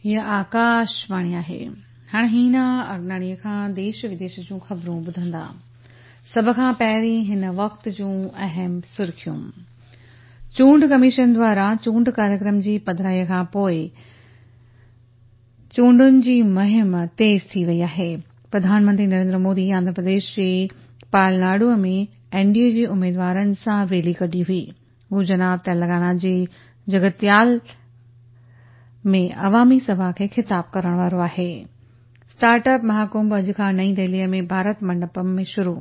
هيء آڪاشواڻي آهي. هاڻ هينا اگناڻيء کان ديش وديش جون خبرون ٻڌندا. سڀ کان پهرين هن وقت جون اهم سرخيون. چونڊ ڪميشن دواران چونڊ ڪاريڪرم جي پڌرائيء کان پوء چونڊن جي مهم تيز ٿي وئي آهي. پرڌان منتري نريندر مودي آنڌرا پرديش جي پالناڊو ۾ اين ڊي اي جي اميدوارن سان ريلي ڪڍي هئي. هو جناب تيلنگانا جي جگتيال ۾ عوامي سڀا کي خطاب ڪرڻ وارو آهي. اسٽارٽ اپ مهاڪنڀ اڄ کان نئين دهليء ۾ ڀارت منڊپم ۾ شروع.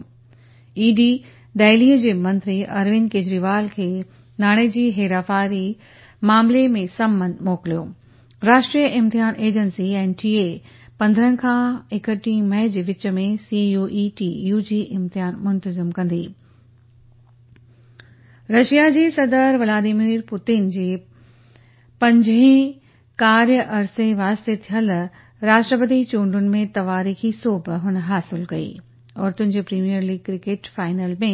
اي ڊي دهليء جي منتري اروند ڪيجريوال کي ناڻي جي هيراڦيري معاملي ۾ سمن موڪليو. راشٽريه امتحان ايجنسي، اين ٽي اي، 15 کان 31 مئي جي وچ ۾ C U E T U G امتحان منتظم ڪندي. رشيا جي صدر ولاديمير پوتن جي پنجين ڪاريه عرصي واسطي ٿيل راشٽرپتي چونڊن ۾ تواريخي سوڀ هن حاصل ڪئي. عورتن جي premier league cricket final ۾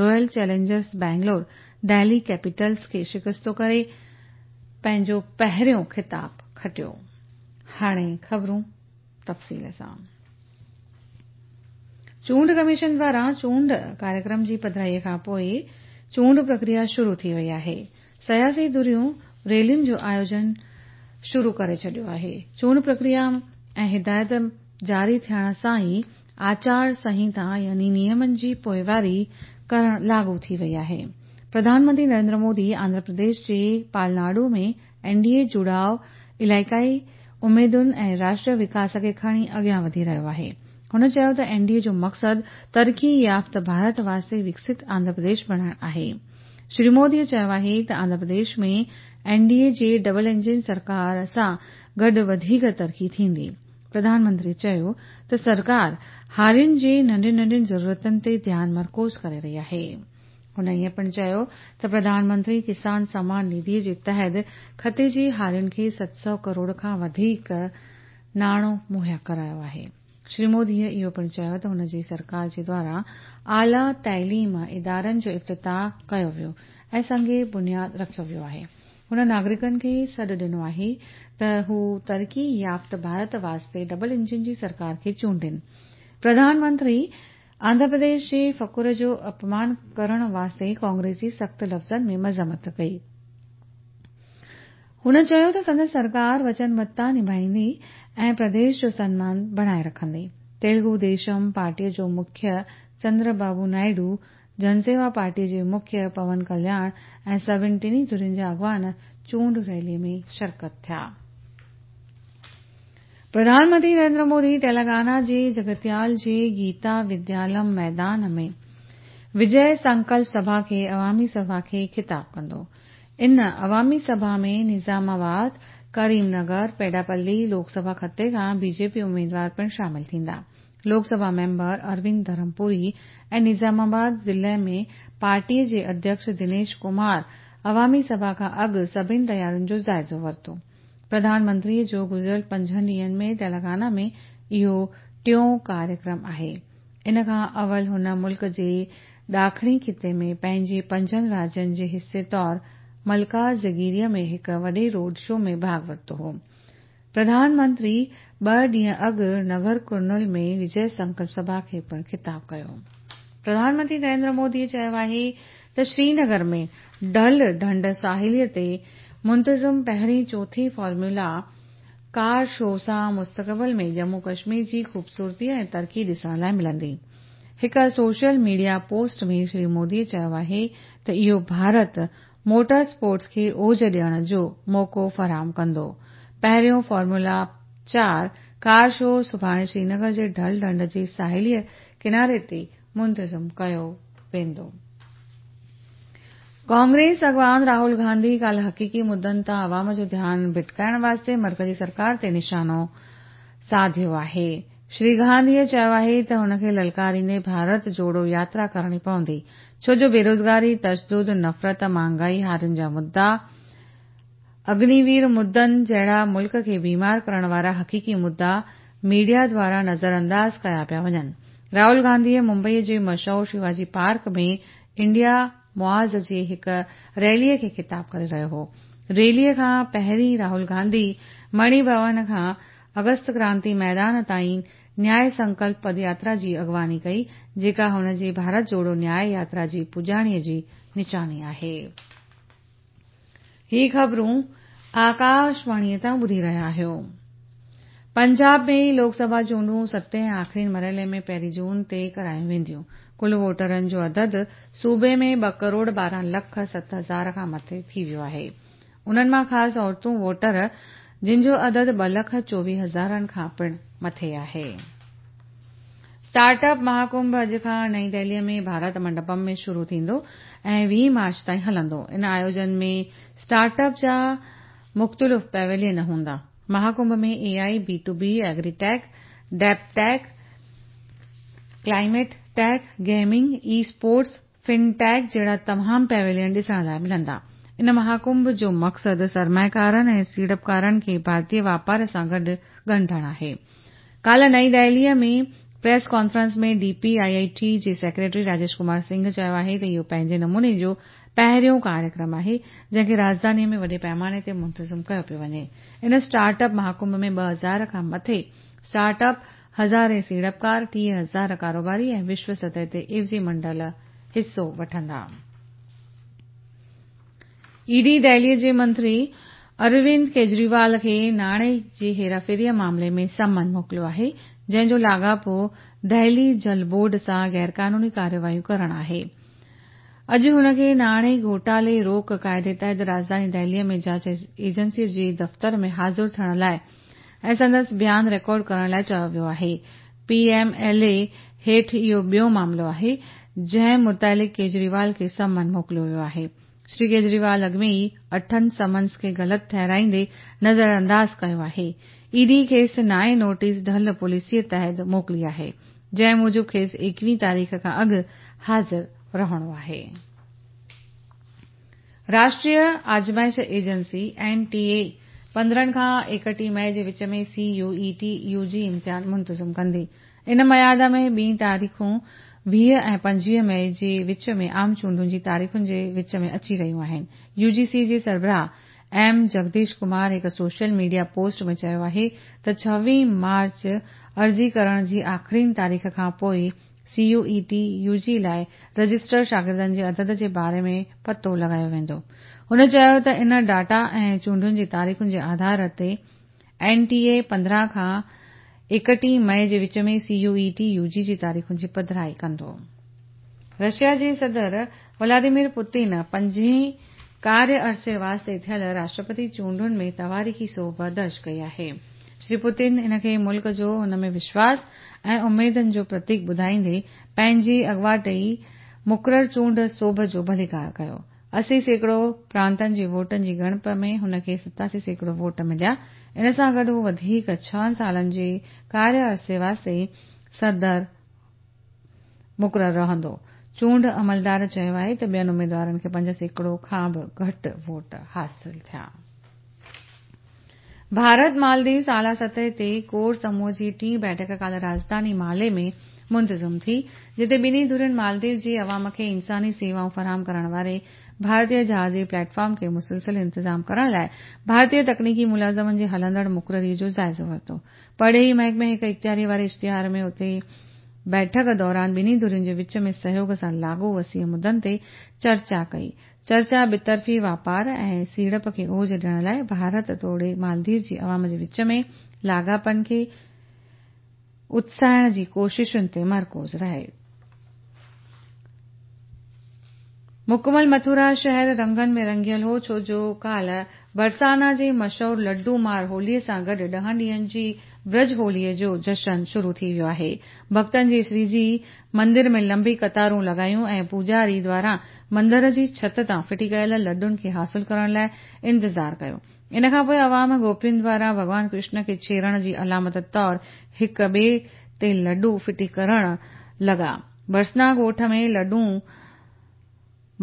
Royal Challengers Bangalore Delhi Capitals کي شڪستو ڪري پنهنجو پهريون خطاب کٽيو. هاڻي خبرون تفصيل سان. چونڊ ڪميشن دواران چونڊ ڪاريڪرم جي پڌرائيء کان پوء چونڊ پرڪريا شروع ٿي وئي آهي. سياسي ڌريون ريلين جو آيوجن شروع ڪري ڇڏيو آهي. چونڊ پرڪريا ۽ هدايت جاري ٿيڻ سان ئي آچار سنهتا يعني نيمن جي پوئواري ڪرڻ لاڳو ٿي وئي آهي. پرڌان منتري نريندر مودي آنڌرا پرديش جي پالناڊو ۾ اين ڊي اي جڙاء علائقائي اميدن ۽ راشٽريه وڪاس کي کڻي اڳيان وڌي رهيو آهي. هن چيو ته اين ڊي اي جو مقصد ترقي يافته ڀارت واسطي وڪست آنڌرا پرديش بڻائڻ آهي. شري مودي چيو آهي ته آنڌرا پرديش ۾ اين ڊي اي جي ڊبل انجن سرڪار سان گڏ وڌيڪ ترقي ٿيندي. پرڌان منتري چيو ته سرڪار هارين جي ننڍين ننڍين ضرورتن تي ڌيان مرڪوز ڪري رهي آهي. هن ائين پڻ چيو ته پرڌان منتري ڪسان سمان نڌي جي تحت خطي جي هارين کي 700 ڪروڙ کان وڌيڪ ناڻو مهيا ڪرايو آهي. شري مودي اهو پڻ چيو ته هن جي سرڪار جي دواران اعليٰ تعليم ادارن جو افتتاح ڪيو ويو ۽ سنگ بنياد رکيو ويو آهي. هن ناگرڪن کي سڏ ڏنو آهي ته هو ترقي يافته ڀارت واسطي ڊبل انجن جي سرڪار کي چونڊين. پرڌان منتري آنڌرا پرديش جي فخر جو اپمان ڪرڻ واسطي ڪانگريس جي سخت لفظن ۾ مذمت ڪئي. هن چيو ته سندس سرڪار وچنبڌتا نڀائيندي ۽ پرديش جو سنمان بڻائي رکندي. تيلگو ديشم پارٽيء جو مکيه چندر بابو نائيڊو، جنسيوا پارٽيء جي مکيه پون ڪلياڻ ۽ سڀن ٽنهي ڌرين جا اڳواڻ چونڊ ريلي ۾ شرڪت ٿيا. پرڌان منتري نريندر مودي تيلنگانا جي جگتيال جي گيتا وديالم ميدان ۾ وجي سنڪلپ سڀا کي عوامي سڀا کي خطاب ڪندو. ان عوامي سڀا ۾ نظام آباد، ڪريم نگر، پيڊاپلي لوڪ سڀا خطي کان بي جي پي اميدوار پڻ شامل ٿيندا. لوڪ سڀا ميمبر اروند ڌرمپوري ۽ نظام آباد ضلعي ۾ پارٽيء جي اڌيڪش دنيش ڪمار عوامي سڀا کان اڳ سڀن تيارين جو جائزو ورتو. پرڌان منتريء جو گذريل پنجن ڏينهن ۾ تيلنگانا ۾ اهو ٽيون ڪاريڪرم آهي. ان کان اول هن ملڪ جي ڏاکڻي خطي ۾ پنهنجي پنجن راجين جي حصي طور ملڪازگيريء ۾ هڪ وڏي روڊ شو ۾ ڀاڳ ورتو هو. پرڌان منتري ٻه ڏينهن اڳ نگر ڪرنول ۾ وجي سنڪلپ سڀا کي پڻ خطاب ڪيو. پرڌان منتري نريندر مودي چيو آهي ته سرينگر ۾ ڊل ڍنڍ ساحليء تي منتظم پهرين چوٿين فارمولا ڪار شو سان مستقبل ۾ ڄمون ڪشمير جي خوبصورتي ۽ ترقي ڏسڻ لاء ملندي. هڪ social media post ۾ Shri Modi چيو آهي ته اهو ڀارت موٽر اسپورٽس کي اوج ڏيڻ جو موقعو فراهم ڪندو. پهريون فارمولا 4 ڪار شو سڀاڻي سرينگر جي ڊل ڍنڍ جي ساحلي ڪناري تي منتظم ڪيو ويندو. ڪانگريس اڳواڻ راهول گانڌي ڪالهه حقيقي مدن تان عوام جو ڌيان ڀٽڪائڻ واسطي مرڪزي سرڪار تي نشانو ساڌيو آهي. شري گانڌيء چيو آهي ته هن کي للڪاريندي ڀارت جوڙو ياترا ڪرڻي پوندي، ڇو جو بيروزگاري، تشدد، نفرت، مهانگائي، هارين جا مدا، اگنيوير مدن جهڙا ملڪ کي بيمار ڪرڻ وارا حقيقي مدا ميڊيا دواران نظرانداز ڪيا پيا وڃن. راهول گانڌيء ممبئيء جي مشهور شيواجي پارڪ ۾ انڊيا محاذ جي هڪ ريليء کي خطاب ڪري رهيو هو. ريليء کان پهرين راهول گانڌي مڻي ڀون کان اگست ڪرانتي ميدان تائين نياء سنڪلپ پدياترا جي اڳواڻي ڪئي، جيڪا هن جي ڀارت جوڙو نياء ياترا جي پڄاڻيء جي نشاني آهي. هي خبرون آڪاشواڻيء تان ٻڌي رهيا آهيو. پنجاب ۾ لوڪ سڀا چونڊون ستين ۽ آخرين مرحلي ۾ پهرين جون تي ڪرايون وينديون. ڪل ووٽرن جو عدد صوبي ۾ ٻه ڪروڙ 12 لک 7 هزار کان مٿي ٿي ويو آهي. انهن مان خاص عورتون ووٽر جن جو عدد 2 لک 24 هزارن کان پڻ مٿي آهي. اسٽارٽ اپ مهاڪنڀ اڄ کان نئين دهليء ۾ ڀارت منڊپم ۾ شروع ٿيندو ۽ 20 مارچ تائين هلندو. ان آيوجن ۾ اسٽارٽ اپ جا مختلف پيويلين هوندا. مهاڪنڀ ۾ A I, B to B, agritech, deep tech, climate tech, gaming, e sports, fintech جهڙا تمام پيويلين ڏسڻ لاء ملندا. ان مهاڪنڀ جو مقصد سرمائيڪارن ۽ سيڙپڪارن کي ڀارتيه واپار سان گڏ ڳنڍڻ آهي. ڪالهه نئين دهليء ۾ press conference ۾ D P I I T جي سيڪريٽري راجيش ڪمار سنگهه چيو آهي ته اهو پنهنجي نموني جو پهريون ڪاريڪرم آهي، جنهن کي راڄڌانيء ۾ وڏي پيماني تي منتظم ڪيو پيو وڃي. ان اسٽارٽ اپ مهاڪنڀ ۾ 2000 کان مٿي اسٽارٽ اپ، هزارين سيڙپڪار، 30,000 ڪاروباري ۽ وشو سطح تي عيوضي منڊل حصو وٺندا. اي ڊي دهليء جي منتري اروند ڪيجريوال کي ناڻي جي هيراڦيريء معاملي ۾ سمن موڪليو آهي، جنهن جو لاڳاپو دهلي جل بورڊ سان غيرقانوني ڪارروايون ڪرڻ آهي. اڄ هن کي ناڻي گهوٽالي روڪ قاعدي تحت راڄڌاني دهليء ۾ جاچ ايجنسيء جي دفتر ۾ حاضر ٿيڻ لاء ۽ سندس بيان رڪارڊ ڪرڻ لاء چيو ويو آهي. پي ايم ايل اي هيٺ اهو ٻيو معاملو آهي، جنهن متعلق ڪيجريوال کي سمن موڪليو ويو آهي. شري ڪيجريوال اڳ ۾ ئي اٺن سمنز کي غلط ٺهرائيندي نظرانداز ڪيو آهي. اي ڊي کيس نائين نوٽيس ڍل پاليسيء تحت موڪلي آهي، جنهن موجب کيس 21 تاريخ کان اڳ حاضر رهڻو آهي. راشٽريه آزمائش ايجنسي، اين ٽي اي، 15 کان 31 مئي جي وچ ۾ C U E T U G امتحان منتظم ڪندي. ان ميعاد ۾ ٻي تاريخون 20 ۽ 25 مئي جي وچ ۾ عام چونڊن جي تاريخن جي وچ ۾ اچي رهيون آهن. يو جي سي جي سربراهه ايم جگديش ڪمار هڪ سوشل ميڊيا پوسٽ ۾ چيو آهي ته 26 مارچ عرضي ڪرڻ جي آخرين تاريخ کان پوء C U E T U G لاء رجسٽرڊ شاگردن جي عدد جي باري ۾ پتو لڳايو ويندو. هن چيو ته ان ڊيٽا ۽ چونڊن جي تاريخن جي آڌار تي اين ٽي اي 15 کان 31 مئي جي وچ ۾ C U E T U G جي تاريخن جي پڌرائي ڪندو. رشيا جي صدر ولاديمير پوتين پنجين ڪاريه عرصي واسطي ٿيل راشٽرپتي چونڊن ۾ تواريخي سوڀ درج ڪئي آهي. شري پوتين ان کي ملڪ جو هن ۾ وشواس ۽ اميدن جو پرتيڪ ٻڌائيندي پنهنجي اڳواٽ ئي مقرر چونڊ سوڀ جو ڀليڪار ڪيو. 80% پرانتن جي ووٽن جي ڳڻپ ۾ هن کي 87% ووٽ مليا. ان سان گڏ هو وڌيڪ ڇهن سالن جي ڪاريه عرصي واسطي صدر مقرر رهندو. چونڊ عملدار چيو آهي ته ٻين اميدوارن کي 5% کان به گهٽ ووٽ حاصل ٿيا. ڀارت مالديوز اعليٰ سطح تي ڪور سموهه جي ٽين بيٺڪ ڪالهه راڄڌاني مالي ۾ منتظم ٿي، جتي ٻنهي ڌرين مالديوز جي عوام کي انساني سيوائون فراهم ڪرڻ واري ڀارتيه جهازي پليٽ فارم کي مسلسل انتظام ڪرڻ لاء ڀارتيه تڪنيڪي ملازمن جي هلندڙ مقرري جو جائزو ورتو. پرڏيهي محڪمي هڪ اختياري واري اشتهار ۾ اتي بيٺڪ دوران ٻنهي ڌرين جي وچ ۾ سهيوڳ سان لاڳو وسيع مدن تي چرچا ڪئي. چرچا ٻطرفي واپار ۽ سيڙپ کي اوج ڏيڻ لاء ڀارت توڙي مالديو جي عوام جي وچ ۾ لاڳاپن کي اتساهڻ جي ڪوششن تي مرڪوز رهي. مڪمل مٿرا شهر رنگن ۾ رڱيل هو، ڇو جو ڪالهه برسانا جي مشهور لڊو مار هوليء سان گڏ ڏهن ڏينهن جي برج هوليء جو جشن شروع ٿي ويو آهي. ڀڳتن جي شري جي مندر ۾ لنبي قطارون لڳايون ۽ پوڄاري دواران مندر جي ڇت تان ڦٽي ڪيل لڊن کي حاصل ڪرڻ لاء انتظار ڪيو. ان کان پوء عوام گوپين دواران ڀڳوان ڪرشن کي ڇيڙڻ جي علامت طور هڪ ٻئي تي لڊو ڦٽي ڪرڻ لڳا. برسنا ڳوٺ ۾ لڊو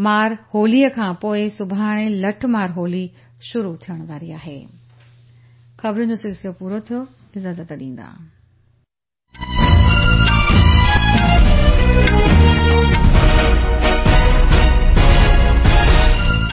مار هوليء کان پوء سڀاڻي لٺ مار هولي شروع ٿيڻ واري آهي. خبرن جو سلسلو پورو ٿيو. اجازت ڏيندا.